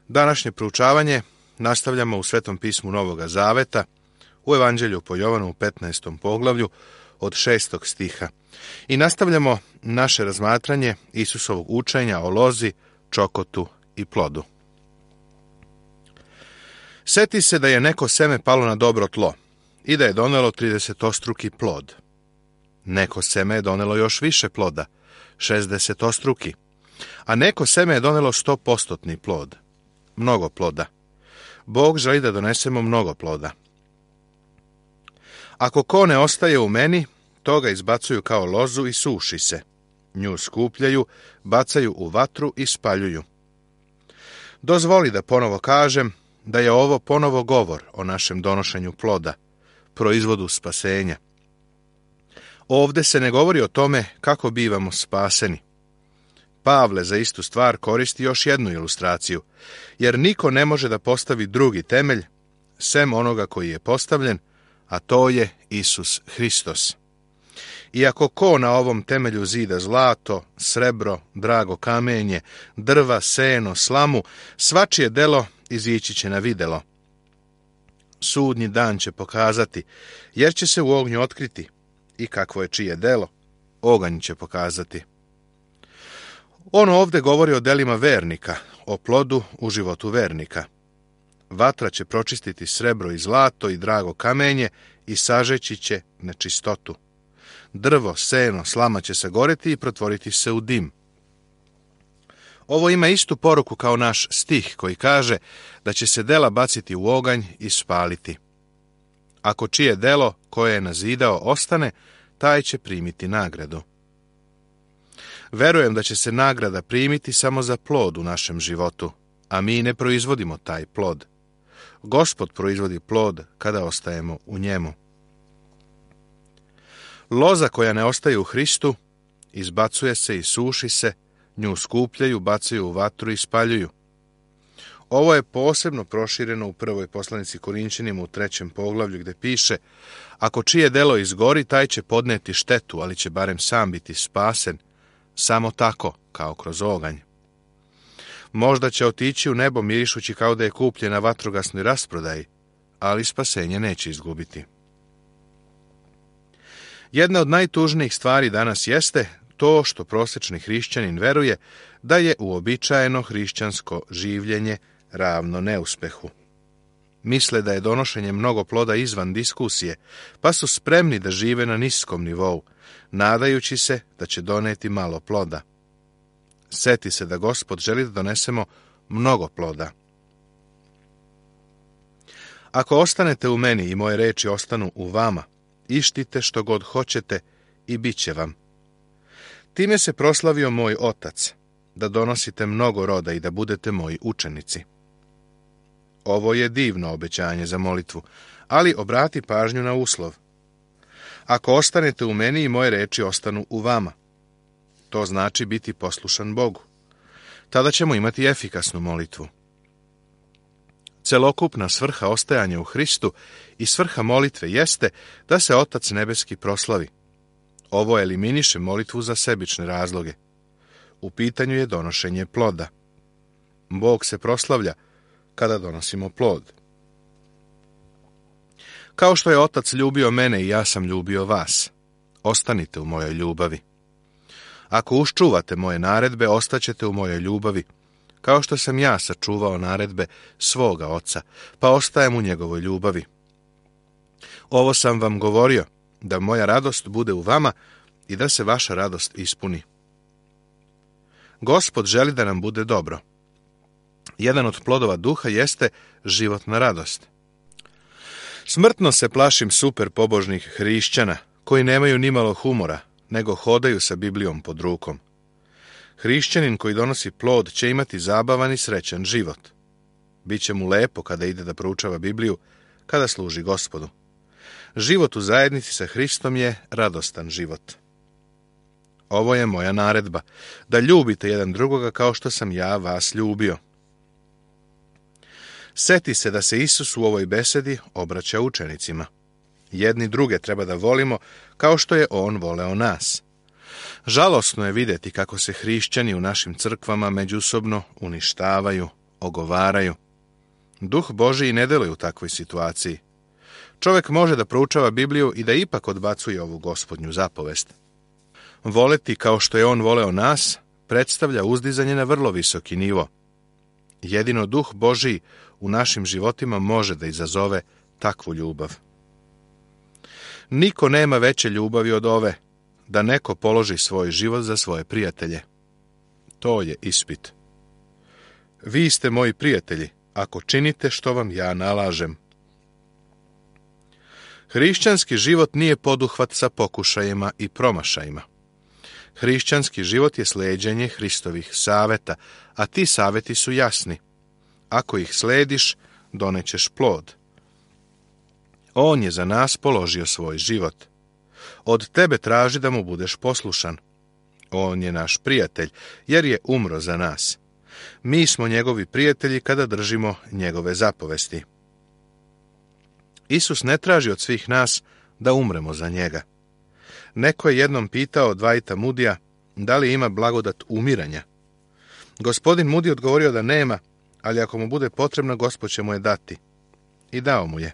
Današnje proučavanje nastavljamo u Svetom pismu Novoga Zaveta, u Evanđelju po Jovanu u 15. poglavlju od 6. stiha. I nastavljamo naše razmatranje Isusovog učenja o lozi, čokotu i plodu. Seti se da je neko seme palo na dobro tlo i da je donelo 30-ostruki plod. Neko seme je donelo još više ploda, 60-ostruki, a neko seme je donelo 100% plod, mnogo ploda. Bog želi da donesemo mnogo ploda. Ako ko ne ostaje u meni, to ga izbacuju kao lozu i suši se. Nju skupljaju, bacaju u vatru i spaljuju. Dozvoli da ponovo kažem da je ovo ponovo govor o našem donošenju ploda, proizvodu spasenja. Ovde se ne govori o tome kako bivamo spaseni. Pavle za istu stvar koristi još jednu ilustraciju, jer niko ne može da postavi drugi temelj, sem onoga koji je postavljen, a to je Isus Hristos. Iako ko na ovom temelju zida zlato, srebro, drago kamenje, drva, seno, slamu, svačije delo izići će na videlo. Sudnji dan će pokazati, jer će se u ognju otkriti, i kakvo je čije delo, oganj će pokazati. On ovde govori o delima vernika, o plodu u životu vernika. Vatra će pročistiti srebro i zlato i drago kamenje i sažeći će nečistotu. Drvo, seno, slama će se goreti i pretvoriti se u dim. Ovo ima istu poruku kao naš stih koji kaže da će se dela baciti u oganj i spaliti. Ako čije delo koje je nazidao ostane, taj će primiti nagradu. Verujem da će se nagrada primiti samo za plod u našem životu, a mi ne proizvodimo taj plod. Gospod proizvodi plod kada ostajemo u njemu. Loza koja ne ostaje u Hristu, izbacuje se i suši se, nju skupljaju, bacaju u vatru i spaljuju. Ovo je posebno prošireno u prvoj poslanici Korinćanima u 3. poglavlju gdje piše: ako čije delo izgori, taj će podneti štetu, ali će barem sam biti spasen, samo tako, kao kroz oganj. Možda će otići u nebo mirišući kao da je kupljen na vatrogasnoj rasprodaji, ali spasenje neće izgubiti. Jedna od najtužnijih stvari danas jeste to što prosječni hrišćanin veruje da je uobičajeno hrišćansko življenje ravno neuspehu. Misle da je donošenje mnogo ploda izvan diskusije, pa su spremni da žive na niskom nivou, nadajući se da će doneti malo ploda. Seti se da Gospod želi da donesemo mnogo ploda. Ako ostanete u meni i moje reči ostanu u vama, ištite što god hoćete i bit će vam. Time se proslavio moj Otac, da donosite mnogo roda i da budete moji učenici. Ovo je divno obećanje za molitvu, ali obrati pažnju na uslov. Ako ostanete u meni i moje reči ostanu u vama, to znači biti poslušan Bogu. Tada ćemo imati efikasnu molitvu. Celokupna svrha ostajanja u Hristu i svrha molitve jeste da se Otac nebeski proslavi. Ovo eliminiše molitvu za sebične razloge. U pitanju je donošenje ploda. Bog se proslavlja kada donosimo plod. Kao što je Otac ljubio mene i ja sam ljubio vas, ostanite u mojoj ljubavi. Ako uščuvate moje naredbe, ostaćete u mojoj ljubavi, kao što sam ja sačuvao naredbe svoga Oca, pa ostajem u njegovoj ljubavi. Ovo sam vam govorio, da moja radost bude u vama i da se vaša radost ispuni. Gospod želi da nam bude dobro. Jedan od plodova duha jeste životna radost. Smrtno se plašim super pobožnih hrišćana, koji nemaju nimalo humora, nego hodaju sa Biblijom pod rukom. Hrišćanin koji donosi plod će imati zabavan i srećan život. Biće mu lepo kada ide da proučava Bibliju, kada služi Gospodu. Život u zajednici sa Hristom je radostan život. Ovo je moja naredba, da ljubite jedan drugoga kao što sam ja vas ljubio. Seti se da se Isus u ovoj besedi obraća učenicima. Jedni druge treba da volimo kao što je on voleo nas. Žalosno je vidjeti kako se hrišćani u našim crkvama međusobno uništavaju, ogovaraju. Duh Božiji ne deluje u takvoj situaciji. Čovjek može da proučava Bibliju i da ipak odbacuje ovu Gospodnju zapovest. Voleti kao što je on voleo nas, predstavlja uzdizanje na vrlo visoki nivo. Jedino Duh Božiji u našim životima može da izazove takvu ljubav. Niko nema veće ljubavi od ove, da neko položi svoj život za svoje prijatelje. To je ispit. Vi ste moji prijatelji, ako činite što vam ja nalažem. Hrišćanski život nije poduhvat sa pokušajima i promašajima. Hrišćanski život je sleđenje Hristovih saveta, a ti saveti su jasni. Ako ih slediš, donećeš plod. On je za nas položio svoj život. Od tebe traži da mu budeš poslušan. On je naš prijatelj, jer je umro za nas. Mi smo njegovi prijatelji kada držimo njegove zapovesti. Isus ne traži od svih nas da umremo za njega. Neko je jednom pitao Dwighta Moodyja da li ima blagodat umiranja. Gospodin Moody odgovorio da nema, ali ako mu bude potrebno, Gospod će mu je dati. I dao mu je.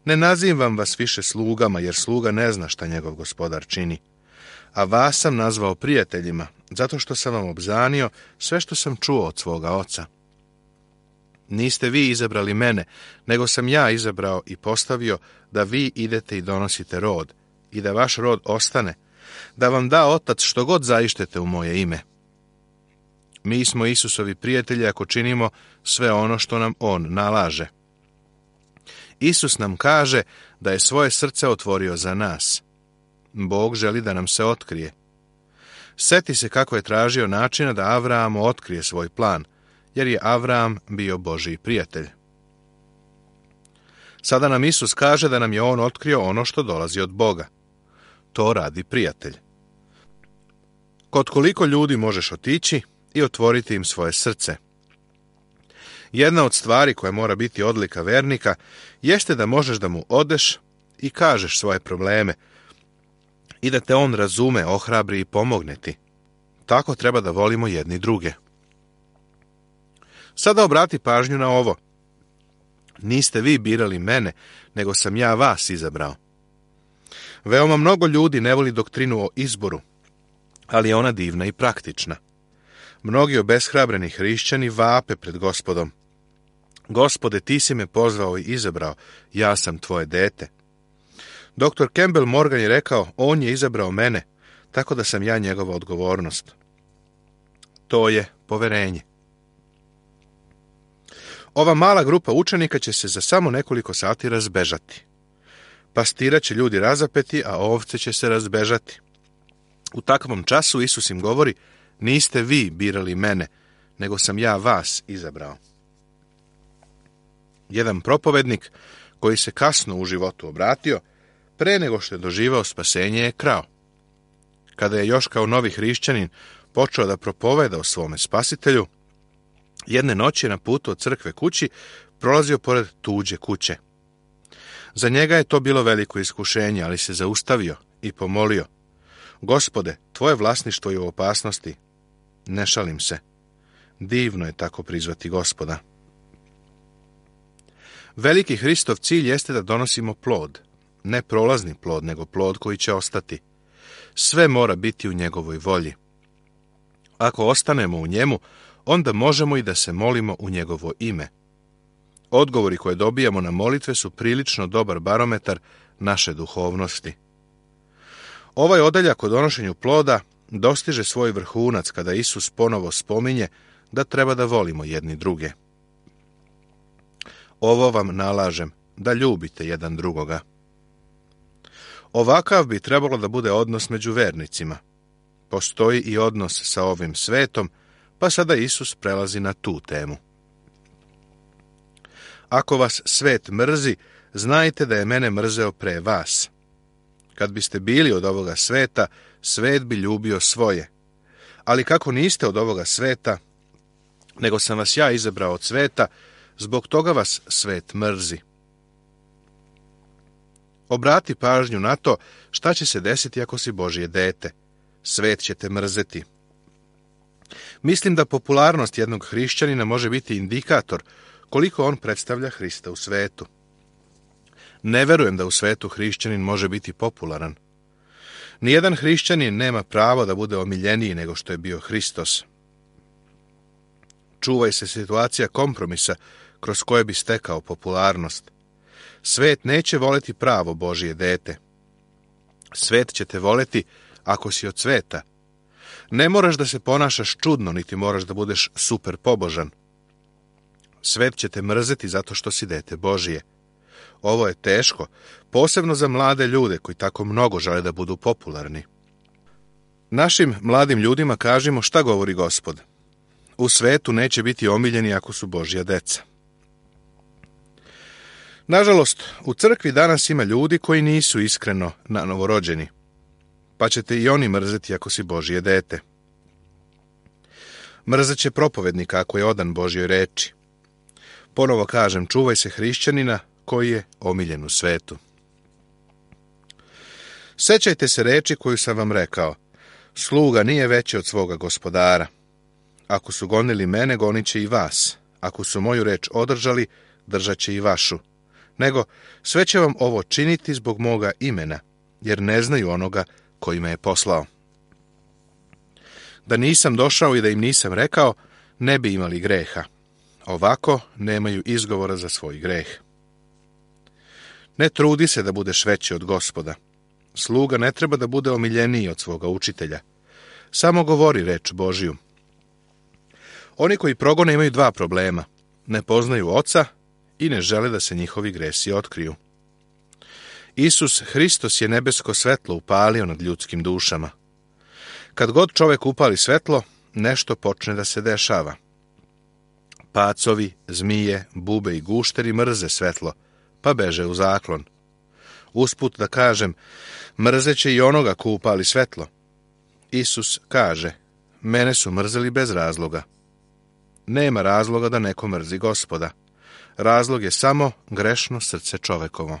Ne nazivam vas više slugama, jer sluga ne zna šta njegov gospodar čini. A vas sam nazvao prijateljima, zato što sam vam obznanio sve što sam čuo od svoga oca. Niste vi izabrali mene, nego sam ja izabrao i postavio da vi idete i donosite rod, i da vaš rod ostane, da vam da Otac što god zaištete u moje ime. Mi smo Isusovi prijatelji ako činimo sve ono što nam on nalaže. Isus nam kaže da je svoje srce otvorio za nas. Bog želi da nam se otkrije. Seti se kako je tražio načina da Avraamu otkrije svoj plan, jer je Avraam bio Božji prijatelj. Sada nam Isus kaže da nam je on otkrio ono što dolazi od Boga. To radi prijatelj. Kod koliko ljudi možeš otići i otvoriti im svoje srce? Jedna od stvari koja mora biti odlika vernika jeste da možeš da mu odeš i kažeš svoje probleme i da te on razume, ohrabri i pomogne ti. Tako treba da volimo jedni druge. Sada obrati pažnju na ovo. Niste vi birali mene, nego sam ja vas izabrao. Veoma mnogo ljudi ne voli doktrinu o izboru, ali je ona divna i praktična. Mnogi obeshrabreni hrišćani vape pred Gospodom. Gospode, ti si me pozvao i izabrao, ja sam tvoje dete. Dr. Campbell Morgan je rekao, on je izabrao mene, tako da sam ja njegova odgovornost. To je poverenje. Ova mala grupa učenika će se za samo nekoliko sati razbežati. Pastira će ljudi razapeti, a ovce će se razbežati. U takvom času Isus im govori, niste vi birali mene, nego sam ja vas izabrao. Jedan propovednik koji se kasno u životu obratio, pre nego što je doživao spasenje, je krao. Kada je još kao novi hrišćanin počeo da propoveda o svome spasitelju, jedne noći je na putu od crkve kući prolazio pored tuđe kuće. Za njega je to bilo veliko iskušenje, ali se zaustavio i pomolio. Gospode, tvoje vlasništvo je u opasnosti. Ne šalim se. Divno je tako prizvati Gospoda. Veliki Hristov cilj jeste da donosimo plod. Ne prolazni plod, nego plod koji će ostati. Sve mora biti u njegovoj volji. Ako ostanemo u njemu, onda možemo i da se molimo u njegovo ime. Odgovori koje dobijamo na molitve su prilično dobar barometar naše duhovnosti. Ovaj odeljak o donošenju ploda dostiže svoj vrhunac kada Isus ponovo spominje da treba da volimo jedni druge. Ovo vam nalažem, da ljubite jedan drugoga. Ovakav bi trebalo da bude odnos među vernicima. Postoji i odnos sa ovim svetom, pa sada Isus prelazi na tu temu. Ako vas svet mrzi, znajte da je mene mrzeo pre vas. Kad biste bili od ovoga sveta, svet bi ljubio svoje. Ali kako niste od ovoga sveta, nego sam vas ja izabrao od sveta, zbog toga vas svet mrzi. Obrati pažnju na to šta će se desiti ako si Božje dete. Svet će te mrzeti. Mislim da popularnost jednog hrišćanina može biti indikator koliko on predstavlja Hrista u svetu. Ne verujem da u svetu hrišćanin može biti popularan. Nijedan hrišćanin nema pravo da bude omiljeniji nego što je bio Hristos. Čuvaj se situacija kompromisa kroz koje bi stekao popularnost. Svet neće voleti pravo Božje dete. Svet će te voleti ako si od sveta. Ne moraš da se ponašaš čudno, niti moraš da budeš super pobožan. Svet će te mrzeti zato što si dete Božije. Ovo je teško, posebno za mlade ljude koji tako mnogo žele da budu popularni. Našim mladim ljudima kažimo šta govori Gospod. U svetu neće biti omiljeni ako su Božja deca. Nažalost, u crkvi danas ima ljudi koji nisu iskreno novorođeni, pa ćete i oni mrzeti ako si Božje dete. Mrzet će propovednika ako je odan Božjoj reči. Ponovo kažem, čuvaj se hrišćanina koji je omiljen u svetu. Sećajte se reči koju sam vam rekao. Sluga nije veći od svoga gospodara. Ako su gonili mene, gonit će i vas. Ako su moju reč održali, držat će i vašu. Nego, sve će vam ovo činiti zbog moga imena, jer ne znaju onoga koji me je poslao. Da nisam došao i da im nisam rekao, ne bi imali greha. Ovako nemaju izgovora za svoj greh. Ne trudi se da budeš veći od Gospoda. Sluga ne treba da bude omiljeniji od svoga učitelja. Samo govori reč Božju. Oni koji progone imaju dva problema. Ne poznaju Oca i ne žele da se njihovi gresi otkriju. Isus Hristos je nebesko svetlo upalio nad ljudskim dušama. Kad god čovek upali svetlo, nešto počne da se dešava. Pacovi, zmije, bube i gušteri mrze svetlo, pa beže u zaklon. Usput da kažem, mrzeće i onoga ko upali svetlo. Isus kaže, mene su mrzeli bez razloga. Nema razloga da neko mrzi Gospoda. Razlog je samo grešno srce čovekovo.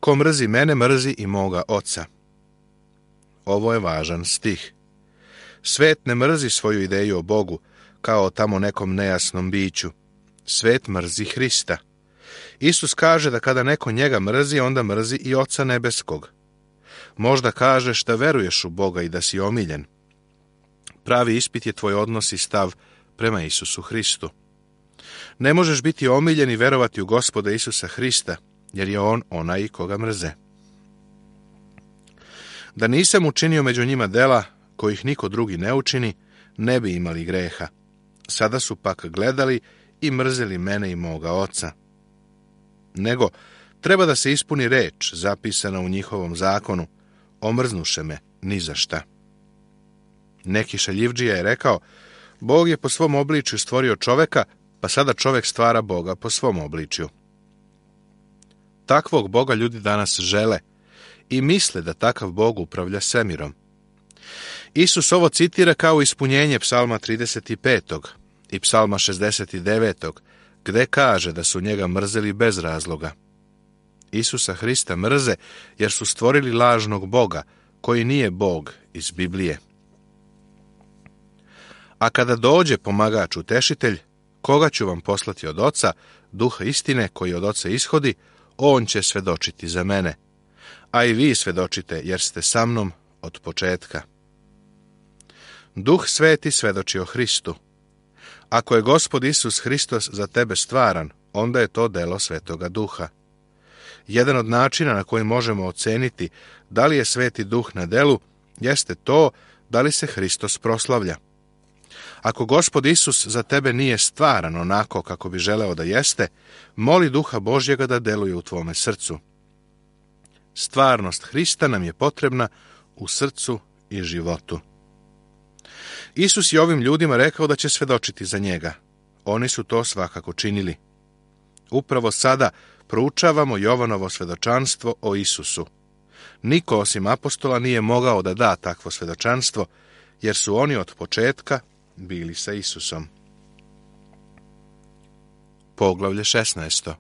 Ko mrzi mene, mrzi i moga Oca. Ovo je važan stih. Svet ne mrzi svoju ideju o Bogu, kao o tamo nekom nejasnom biću. Svet mrzi Hrista. Isus kaže da kada neko njega mrzi, onda mrzi i Oca nebeskog. Možda kažeš da veruješ u Boga i da si omiljen. Pravi ispit je tvoj odnos i stav prema Isusu Hristu. Ne možeš biti omiljen i verovati u Gospoda Isusa Hrista, jer je on onaj koga mrze. Da nisam učinio među njima dela kojih niko drugi ne učini, ne bi imali greha. Sada su pak gledali i mrzeli mene i moga Oca. Nego, treba da se ispuni reč zapisana u njihovom zakonu, omrznuše me ni za šta. Neki šaljivdžija je rekao, Bog je po svom obličju stvorio čoveka, pa sada čovek stvara Boga po svom obličju. Takvog Boga ljudi danas žele i misle da takav Bog upravlja svemirom. Isus ovo citira kao ispunjenje Psalma 35. i Psalma 69. gde kaže da su njega mrzeli bez razloga. Isusa Hrista mrze jer su stvorili lažnog Boga, koji nije Bog iz Biblije. A kada dođe pomagač utešitelj, koga ću vam poslati od Oca, Duha istine koji od Oca ishodi, on će svedočiti za mene. A i vi svedočite, jer ste sa mnom od početka. Duh Sveti svedoči o Hristu. Ako je Gospod Isus Hristos za tebe stvaran, onda je to delo Svetoga Duha. Jedan od načina na koji možemo oceniti da li je Sveti Duh na delu, jeste to da li se Hristos proslavlja. Ako Gospod Isus za tebe nije stvaran onako kako bi želeo da jeste, moli Duha Božjega da deluje u tvome srcu. Stvarnost Hrista nam je potrebna u srcu i životu. Isus je ovim ljudima rekao da će svedočiti za njega. Oni su to svakako činili. Upravo sada proučavamo Jovanovo svedočanstvo o Isusu. Niko osim apostola nije mogao da da takvo svedočanstvo, jer su oni od početka bili sa Isusom. Poglavlje 16.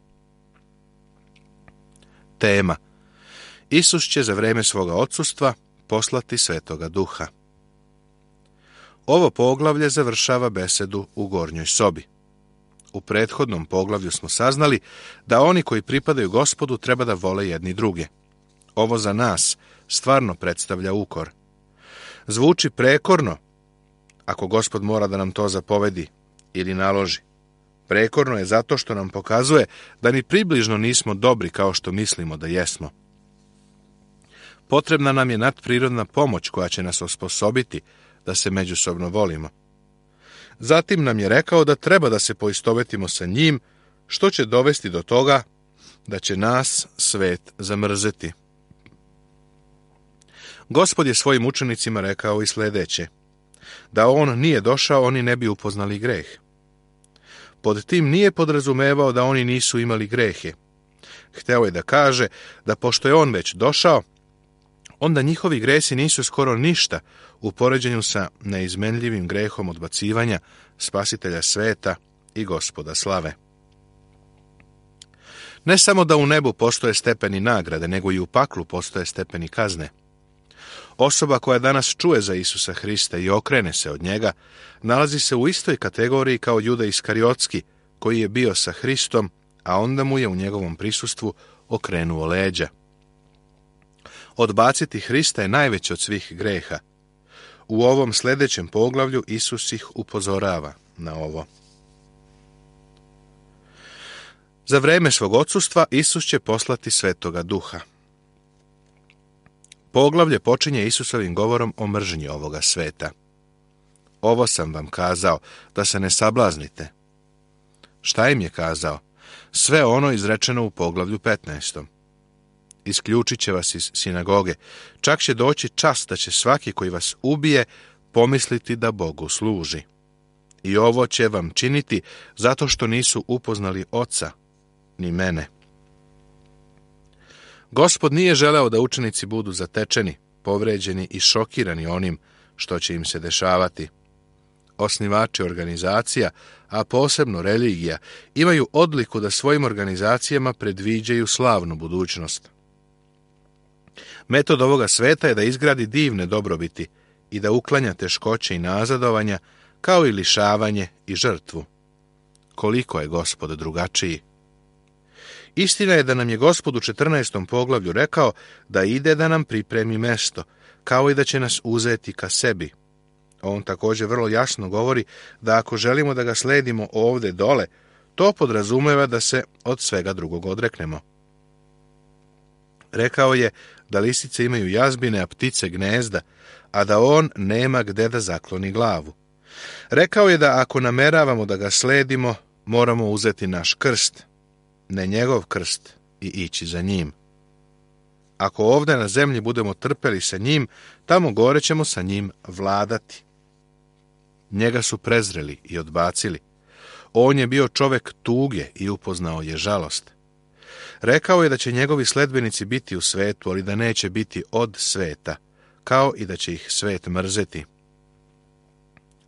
Tema. Isus će za vreme svoga odsustva poslati Svetoga Duha. Ovo poglavlje završava besedu u gornjoj sobi. U prethodnom poglavlju smo saznali da oni koji pripadaju Gospodu treba da vole jedni druge. Ovo za nas stvarno predstavlja ukor. Zvuči prekorno, ako Gospod mora da nam to zapovedi ili naloži. Prekorno je zato što nam pokazuje da ni približno nismo dobri kao što mislimo da jesmo. Potrebna nam je nadprirodna pomoć koja će nas osposobiti da se međusobno volimo. Zatim nam je rekao da treba da se poistovetimo sa njim, što će dovesti do toga da će nas svet zamrzeti. Gospod je svojim učenicima rekao i sljedeće: da on nije došao, oni ne bi upoznali greh. Pod tim nije podrazumevao da oni nisu imali grehe. Hteo je da kaže da pošto je on već došao, onda njihovi gresi nisu skoro ništa u poređenju sa neizmenljivim grehom odbacivanja Spasitelja sveta i Gospoda slave. Ne samo da u nebu postoje stepeni nagrade, nego i u paklu postoje stepeni kazne. Osoba koja danas čuje za Isusa Hrista i okrene se od njega, nalazi se u istoj kategoriji kao Juda Iskariotski, koji je bio sa Hristom, a onda mu je u njegovom prisustvu okrenuo leđa. Odbaciti Hrista je najveći od svih greha. U ovom sljedećem poglavlju Isus ih upozorava na ovo. Za vreme svog odsustva Isus će poslati Svetoga Duha. Poglavlje počinje Isusovim govorom o mržnji ovoga sveta. Ovo sam vam kazao, da se ne sablaznite. Šta im je kazao? Sve ono izrečeno u poglavlju 15. Isključit će vas iz sinagoge. Čak će doći čas da će svaki koji vas ubije pomisliti da Bogu služi. I ovo će vam činiti zato što nisu upoznali Oca, ni mene. Gospod nije želeo da učenici budu zatečeni, povređeni i šokirani onim što će im se dešavati. Osnivači organizacija, a posebno religija, imaju odliku da svojim organizacijama predviđaju slavnu budućnost. Metod ovoga sveta je da izgradi divne dobrobiti i da uklanja teškoće i nazadovanja, kao i lišavanje i žrtvu. Koliko je Gospod drugačiji? Istina je da nam je Gospod u 14. poglavlju rekao da ide da nam pripremi mesto, kao i da će nas uzeti ka sebi. On također vrlo jasno govori da ako želimo da ga sledimo ovdje dole, to podrazumeva da se od svega drugog odreknemo. Rekao je da lisice imaju jazbine, a ptice gnezda, a da on nema gde da zakloni glavu. Rekao je da ako nameravamo da ga sledimo, moramo uzeti naš krst, ne njegov krst, i ići za njim. Ako ovdje na zemlji budemo trpeli sa njim, tamo gore ćemo sa njim vladati. Njega su prezreli i odbacili. On je bio čovjek tuge i upoznao je žalost. Rekao je da će njegovi sledbenici biti u svetu, ali da neće biti od sveta, kao i da će ih svet mrzeti.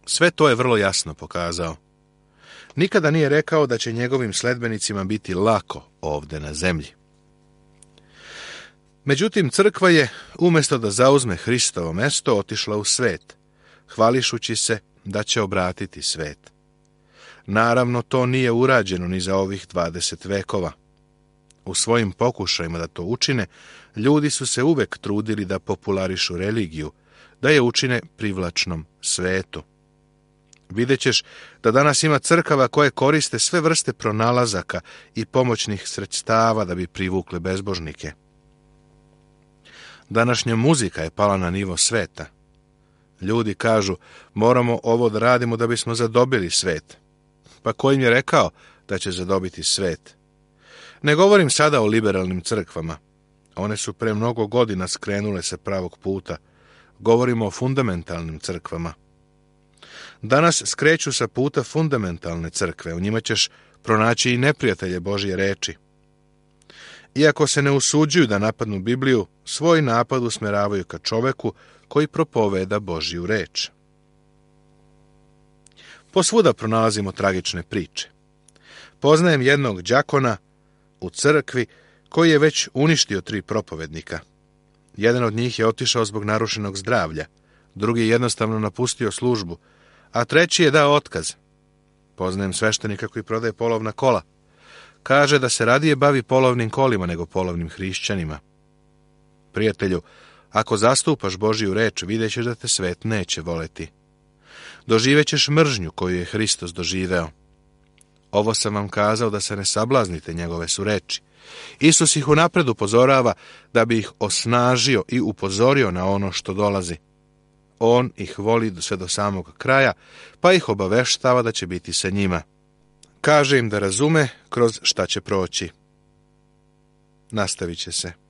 Sve to je vrlo jasno pokazao. Nikada nije rekao da će njegovim sledbenicima biti lako ovdje na zemlji. Međutim, crkva je, umjesto da zauzme Hristovo mesto, otišla u svet, hvališući se da će obratiti svet. Naravno, to nije urađeno ni za ovih 20 vekova. U svojim pokušajima da to učine, ljudi su se uvek trudili da popularišu religiju, da je učine privlačnom svetu. Vidjet ćeš da danas ima crkava koje koriste sve vrste pronalazaka i pomoćnih sredstava da bi privukle bezbožnike. Današnja muzika je pala na nivo sveta. Ljudi kažu, moramo ovo da radimo da bismo zadobili svet. Pa ko im je rekao da će zadobiti svet? Ne govorim sada o liberalnim crkvama. One su pre mnogo godina skrenule sa pravog puta. Govorimo o fundamentalnim crkvama. Danas skreću sa puta fundamentalne crkve. U njima ćeš pronaći i neprijatelje Božje reči. Iako se ne usuđuju da napadnu Bibliju, svoj napad usmeravaju ka čoveku koji propoveda Božju reč. Posvuda pronalazimo tragične priče. Poznajem jednog đakona u crkvi koji je već uništio 3 propovednika. Jedan od njih je otišao zbog narušenog zdravlja, drugi je jednostavno napustio službu, a treći je dao otkaz. Poznajem sveštenika koji prodaje polovna kola. Kaže da se radije bavi polovnim kolima nego polovnim hrišćanima. Prijatelju, ako zastupaš Božiju reč, vidjet ćeš da te svet neće voleti. Doživećeš mržnju koju je Hristos doživeo. Ovo sam vam kazao da se ne sablaznite, njegove su reči. Isus ih unapred upozorava da bi ih osnažio i upozorio na ono što dolazi. On ih voli sve do samog kraja, pa ih obaveštava da će biti sa njima. Kaže im da razume kroz šta će proći. Nastavit će se.